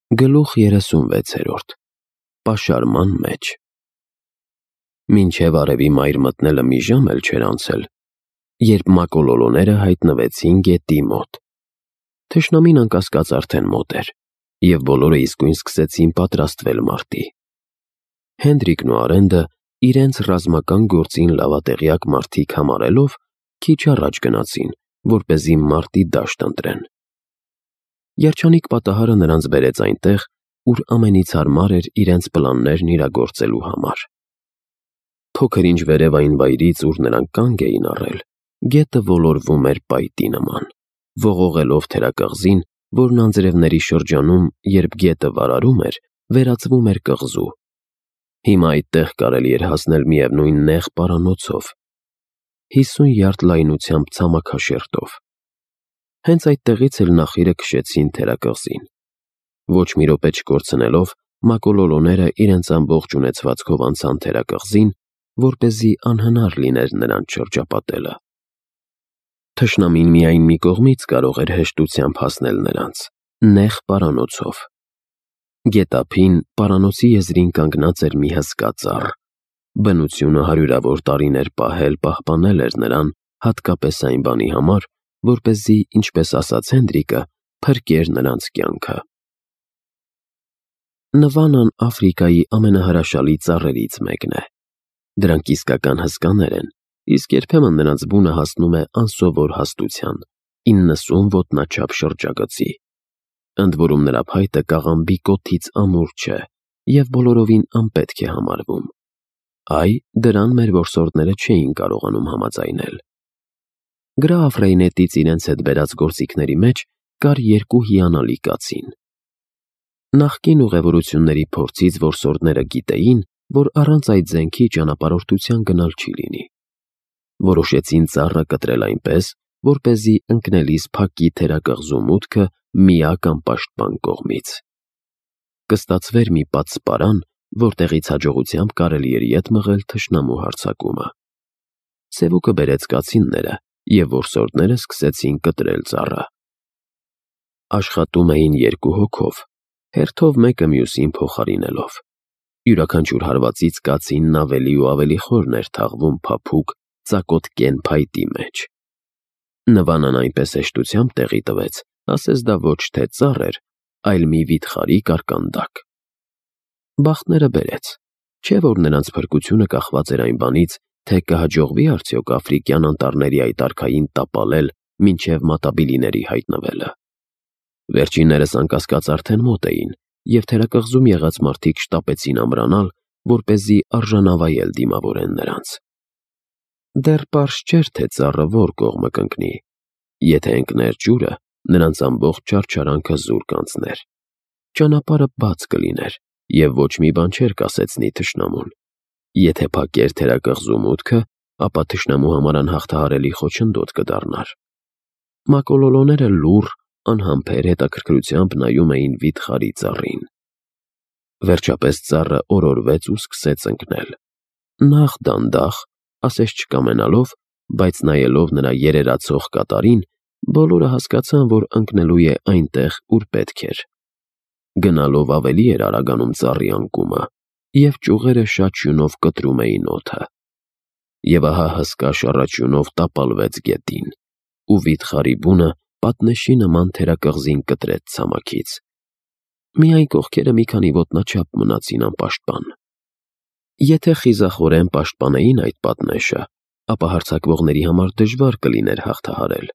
Գլուխ 36 Պաշարման մեջ Մինչև արևի մայր մտնելը մի ժամ էլ չէր անցել, երբ մակոլոլոները հայտնվեցին գետի մոտ։ Թշնամին անկասկած արդեն մոտ էր, և բոլորը իսկույն սկսեցին պատրաստվել մարտի։ Հենդրիկն ու Արենդը իրենց ռազմական գործին լավատեղյակ մարդիկ համարելով քիչ առաջ գնացին, որպեսզի մարտի դաշտ ընտրեն։ Երջանիկ պատահարը նրանց բերեց այնտեղ, ուր ամենից հարմար էր իրենց պլաններն իրագործելու համար։ Փոքր-ինչ վերև այն վայրից, ուր նրանք կանգ էին առել, գետը ոլորվում էր պայտի նման, ողողելով թերակղզին, որն անձրևների շրջանում, երբ գետը վարարում էր, վերածվում էր կղզու։ Հիմա այդտեղ կարելի էր հասնել միևնույն նեղ պարանոցով, 50 յարդ լայնությամբ ցամաքաշերտով։ Հենց այդտեղից էլ նախիրը քշեցին թերակղզին։ Ոչ մի րոպե չկորցնելով, մակոլոլոները իրենց ամբողջ ունեցվածքով անցան թերակղզին, որպեսզի անհնար լիներ նրանց շրջապատելը։ Թշնամին միայն մի կողմից կարող էր հեշտությամբ հասնել նրանց՝ նեղ պարանոցով։ Գետափին պարանոցի եզրին կանգնած էր մի հսկա ծառ։ Բնությունը հարյուրավոր տարիներ պահպանել էր նրան հատկապես այն բանի համար, որպեսզի, ինչպես ասաց Հենդրիկը, փրկեր նրանց կյանքը։ Նվանան Աֆրիկայի ամենահրաշալի ծառերից մեկն է։ Դրանք իսկական հսկաներ են, իսկ երբեմն նրանց բունը հասնում է անսովոր հաստության՝ 90 ոտնաչափ շրջագծի։ Ընդ որում նրա փայտը կաղամբի կոթից ամուր չէ և բոլորովին անպետք է համարվում։ Այ դրան մեր որսորդները չէին կարողանում համաձայնել։ Գրաֆ Ռեյնետից իրենց հետ բերած գործիքների մեջ կար 2 հիանալի կացին։ Նախկին ուղևորությունների փորձից որսորդները գիտեին, որ առանց այդ զենքի ճանապարհորդության գնալ չի լինի։ Որոշեցին ծառը կտրել այնպես, որպեսզի ընկնելիս փակի թերակղզու մուտքը միակ անպաշտպան կողմից։ Կստացվեր մի պատսպարան, որտեղից հաջողությամբ կարելի էր ետ մղել թշնամու հարձակումը։ Սևուկը բերեց կացինները, և որսորդները սկսեցին կտրել ծառը։ Աշխատում էին 2 հոգով, հերթով մեկը մյուսին փոխարինելով։ Յուրաքանչյուր հարվածից կացինն ավելի ու ավելի խորն էր թաղվում փափուկ, ծակոտ կեն փայտի մեջ։ Նվանան այնպես հեշտությամբ տեղի տվեց, ասես դա ոչ թե ծառ էր, այլ մի վիթխարի կարկանդակ։ Բախտները բերեց, չէ՞ որ նրանց փրկությունը կախված էր այն բանից, թե կհաջողվի արդյոք աֆրիկյան անտառների այդ արքային տապալել մինչև մատաբիլիների հայտնվելը։ Վերջիններս անկասկած արդեն մոտ էին, և թերակղզում եղած մարդիկ շտապեցին ամրանալ, որպեսզի արժանավայել դիմավորեն նրանց։ Դեռ պարզ չէր, թե ծառը որ կողմը կընկնի։ Եթե ընկներ ջուրը, նրանց ամբողջ չարչարանքը զուր կանցներ։ Ճանապարհը բաց կլիներ, և ոչ մի բան չէր կասեցնի թշնամուն։ Եթե փակեր թերակղզու մուտքը, ապա թշնամու համար անհաղթահարելի խոչընդոտ կդառնար։ Մակոլոլոները լուռ, անհամբեր հետաքրքրությամբ նայում էին վիթխարի ծառին։ Վերջապես ծառը օրորվեց ու սկսեց ընկնել։ Նախ դանդաղ, ասես չկամենալով, բայց նայելով նրա երերացող կատարին, բոլորը հասկացան, որ ընկնելու է այնտեղ, ուր պետք էր։ Գնալով ավելի էր արագանում ծառի անկումը, և ճյուղերը շաչյունով կտրում էին օդը։ Եվ ահա հսկա շառաչյունով տապալվեց գետին, ու վիթխարի բունը պատնեշի նման թերակղզին կտրեց ցամաքից։ Միայն կողքերը մի քանի ոտնաչափ մնացին անպաշտպան։ Եթե խիզախորեն պաշտպանեին այդ պատնեշը, ապա հարձակվողների համար դժվար կլիներ հաղթահարել։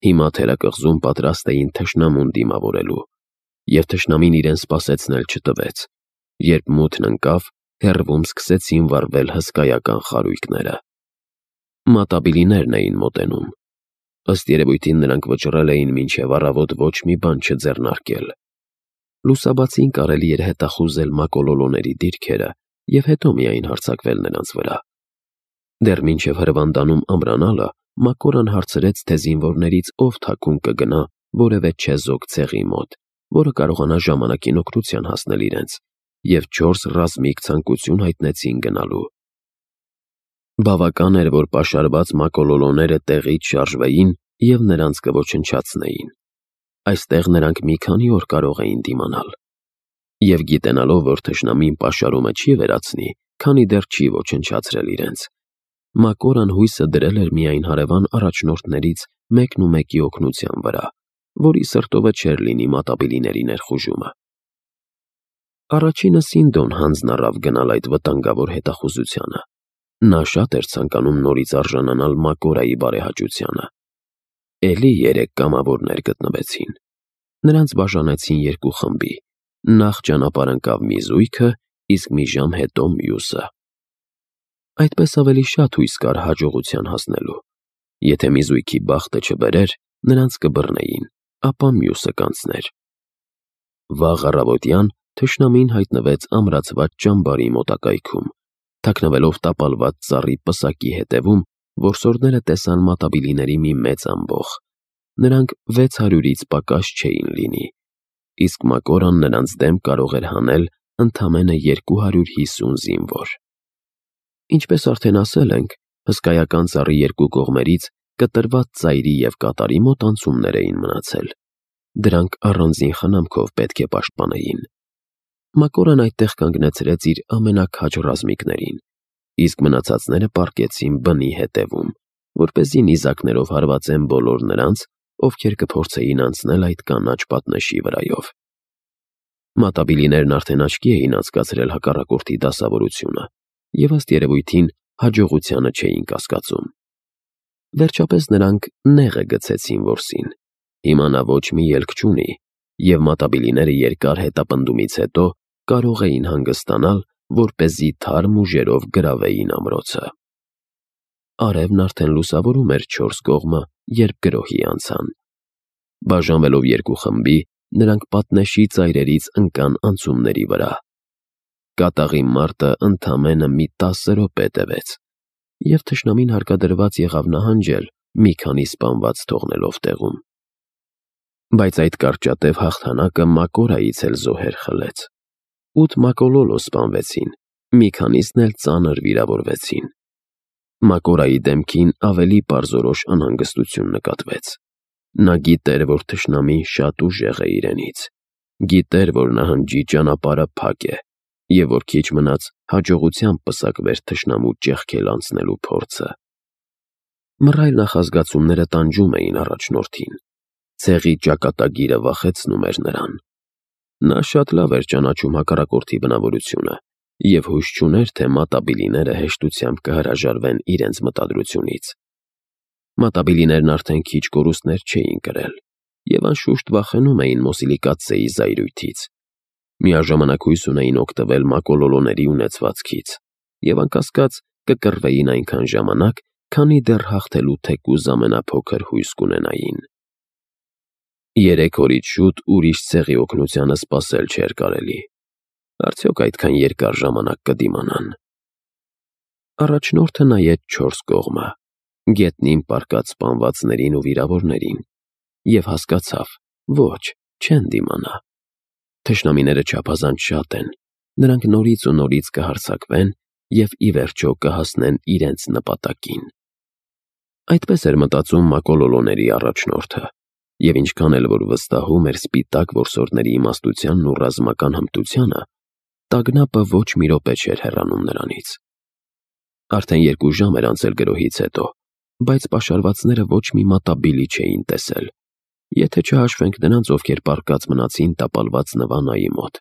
Հիմա թերակղզում պատրաստ էին թշնամուն դիմավորելու, և թշնամին իրեն սպասեցնել չտվեց։ Երբ մութն ընկավ, հեռվում սկսեցին վառվել հսկայական խարույկները։ Մատաբիլիներն էին մոտենում։ Ըստ երևույթին նրանք վճռել էին մինչև առավոտ ոչ մի բան չձեռնարկել։ Լուսաբացին կարելի էր հետախուզել մակոլոլոների դիրքերը և հետո միայն հարձակվել նրանց վրա։ Դեռ մինչև հրվանդանում ամրանալը Մակորան հարցրեց, թե զինվորներից ով թաքուն կգնա որևէ չեզոք ցեղի մոտ, որը կարողանա ժամանակին օգնության հասնել իրենց, և 4 ռազմիկ ցանկություն հայտնեցին գնալու։ Բավական էր, որ պաշարված մակոլոլոները տեղից շարժվեին և նրանց կոչնչացնեին։ Այստեղ նրանք մի քանի օր կարող էին դիմանալ, Եվ գիտենալով, որ թշնամին պաշարումը չի վերացնի, քանի դեռ չի ոչնչացրել իրենց, Մակորան հույսը դրել էր միայն հարևան առաջնորդներից մեկն ու մեկի օգնության վրա, որի սրտովը չէր լինի մատաբիլիների ներխուժումը։ Առաջինը Սինդոն հանձն առավ գնալ այդ վտանգավոր հետախուզությանը։ Նա շատ էր ցանկանում նորից արժանանալ Մակորայի բարեհաճությանը։ Էլի 3 կամավորներ գտնվեցին։ Նրանց բաժանեցին 2 խմբի։ Նախ ճանապարհ ընկավ մի զույգը, իսկ մի ժամ հետո մյուսը։ Այդպես ավելի շատ հույս կար հաջողության հասնելու։ Եթե մի զույգի բախտը չբերեր, նրանց կբռնեին, ապա մյուսը կանցներ։ Վաղ առավոտյան թշնամին հայտնվեց ամրացված ճամբարի մոտակայքում, թաքնվելով տապալված ծառի պսակի հետևում, որսորդները տեսան մատաբիլիների մի մեծ ամբոխ։ Նրանք 600-ից պակաս չէին լինի, իսկ Մակորան նրանց դեմ կարող էր հանել ընդամենը 250 զինվոր։ Ինչպես արդեն ասել ենք, հսկայական ծառի 2 կողմերից կտրված ծայրի և կատարի մոտ անցումներ էին մնացել։ Դրանք առանձին խնամքով պետք է պաշտպանեին։ Մակորան այդտեղ կանգնեցրեց իր ամենաքաջ ռազմիկներին, իսկ մնացածները պառկեցին բնի հետևում, որպեսզի նիզակներով հարվածեն բոլոր նրանց, ովքեր կփորձեին անցնել այդ կանաչ պատնեշի վրայով։ Մատաբիլիներն արդեն աչքի էին անցկացրել հակառակորդի դասավորությունը և ըստ երևույթին հաջողությանը չէին կասկածում։ Վերջապես նրանք նեղը գցեցին որսին։ Հիմա նա ոչ մի ելք չունի, և մատաբիլիները երկար հետապնդումից հետո կարող էին հանգստանալ, որպեսզի թարմ ուժերով գրավեին ամրոցը։ Արևն արդեն լուսավորում էր 4 կողմը, երբ գրոհի անցան։ Բաժանվելով 2 խմբի, նրանք պատնեշի ծայրերից ընկան անցումների վրա։ Կատաղի մարտը ընդամենը մի 10 րոպե տևեց, և թշնամին հարկադրված եղավ նահանջել, մի քանի սպանված թողնելով տեղում։ Բայց այդ կարճատև հաղթանակը Մակորայից էլ զոհեր խլեց։ 8 մակոլոլո սպանվեցին, մի քանիսն էլ ծանր վիրավորվեցին։ Մակորայի դեմքին ավելի պարզորոշ անհանգստություն նկատվեց։ Նա գիտեր, որ թշնամին շատ ուժեղ է իրենից։ Գիտեր, որ նահանջի ճանապարհը փակ է, և որ քիչ մնաց հաջողությամբ պսակվեր թշնամու ճեղքել անցնելու փորձը։ Մռայլ նախազգացումները տանջում էին առաջնորդին։ Ցեղի ճակատագիրը վախեցնում էր նրան։ Նա շատ լավ էր ճանաչում հակառակորդի բնավորությունը և հույս չուներ, թե մատաբիլիները հեշտությամբ կհրաժարվեն իրենց մտադրությունից։ Մատաբիլիներն արդեն քիչ կորուստներ չէին կրել և անշուշտ վախենում էին Մոսիլիկացեի զայրույթից։ Միաժամանակ հույս ունեին օգտվել մակոլոլոների ունեցվածքից և անկասկած կկռվեին այնքան ժամանակ, քանի դեռ հաղթելու թեկուզ ամենափոքր հույս կունենային։ 3 օրից շուտ ուրիշ ցեղի օգնությանը սպասել չէր կարելի։ Արդյոք այդքան երկար ժամանակ կդիմանան։ Առաջնորդը նայեց 4 կողմը, գետնին պառկած սպանվածներին ու վիրավորներին, և հասկացավ, ոչ, չեն դիմանա։ Թշնամիները չափազանց շատ են, նրանք նորից ու նորից կհարձակվեն և ի վերջո կհասնեն իրենց նպատակին։ Այդպես էր մտածում մակոլոլոների առաջնորդը, և ինչքան էլ որ վստահում էր սպիտակ որսորդների իմաստությանն ու ռազմական հմտությանը, տագնապը ոչ մի րոպե չէր հեռանում նրանից։ Արդեն 2 ժամ էր անցել գրոհից հետո, բայց պաշարվածները ոչ մի մատաբիլի չէին տեսել, եթե չհաշվենք նրանց, ովքեր պառկած մնացին տապալված նվանայի մոտ։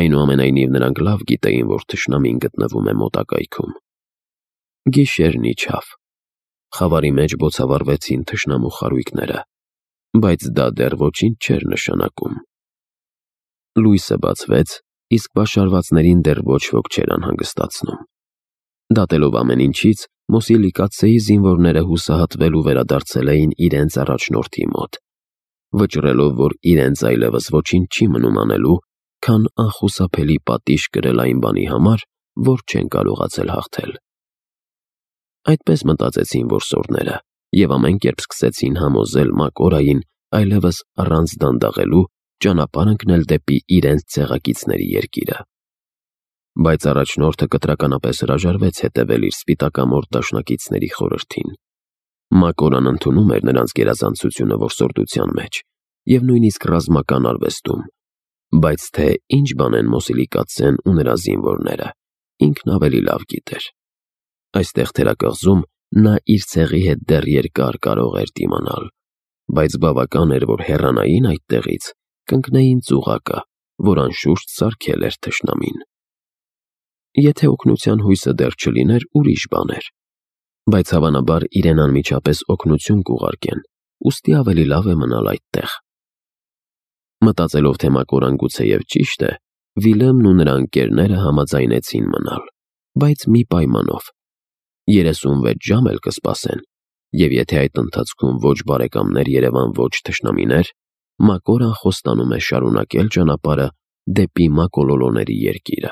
Այնուամենայնիվ նրանք լավ գիտեին, որ թշնամին գտնվում է մոտակայքում։ Գիշերն իջավ։ Խավարի մեջ բոցավառվեցին թշնամու խարույկները, բայց դա դեռ ոչինչ չէր նշանակում։ Լույսը բացվեց, իսկ պաշարվածներին դեռ ոչ ոք չէր անհանգստացնում։ Դատելով ամեն ինչից, Մոսիլիկացեի զինվորները հուսահատվել ու վերադարձել էին իրենց առաջնորդի մոտ, վճռելով, որ իրենց այլևս ոչինչ չի մնում անելու, քան անխուսափելի պատիժ կրել այն բանի համար, որ չեն կարողացել հաղթել։ Այդպես մտածեցին որսորդները և ամեն կերպ սկսեցին համոզել Մակորային այլևս առանց դանդաղելու ճանապարհ ընկնել դեպի իրենց ցեղակիցների երկիրը։ Բայց առաջնորդը կտրականապես հրաժարվեց հետևել իր սպիտակամորթ դաշնակիցների խորհրդին։ Մակորան ընդունում էր նրանց գերազանցությունը որսորդության մեջ և նույնիսկ ռազմական արվեստում, Բայց թե ինչ բան են Մոսիլի կաթսեն ու նրա զինվորները, ինքն ավելի լավ գիտեր։ Այստեղ թերակղզում նա իր ցեղի հետ դեռ երկար կարող էր դիմանալ, բայց բավական էր, որ հեռանային այդտեղից, կընկնեին ծուղակը, որ անշուշտ սարքել էր թշնամին։ Եթե օգնության հույսը դեռ չլիներ, ուրիշ բան էր, բայց հավանաբար իրեն անմիջապես օգնություն կուղարկեն, ուստի ավելի լավ է մնալ այդտեղ։ Մտածելով, թե Մակորան գուցեև ճիշտ է, Վիլեմն ու նրա ընկերները համաձայնեցին մնալ, բայց մի պայմանով. 36 ժամ էլ կսպասեն, և եթե այդ ընթացքում ոչ բարեկամներ երևան, ոչ թշնամիներ, Մակորան խոստանում է շարունակել ճանապարհը դեպի Մակոլոլոների երկիրը։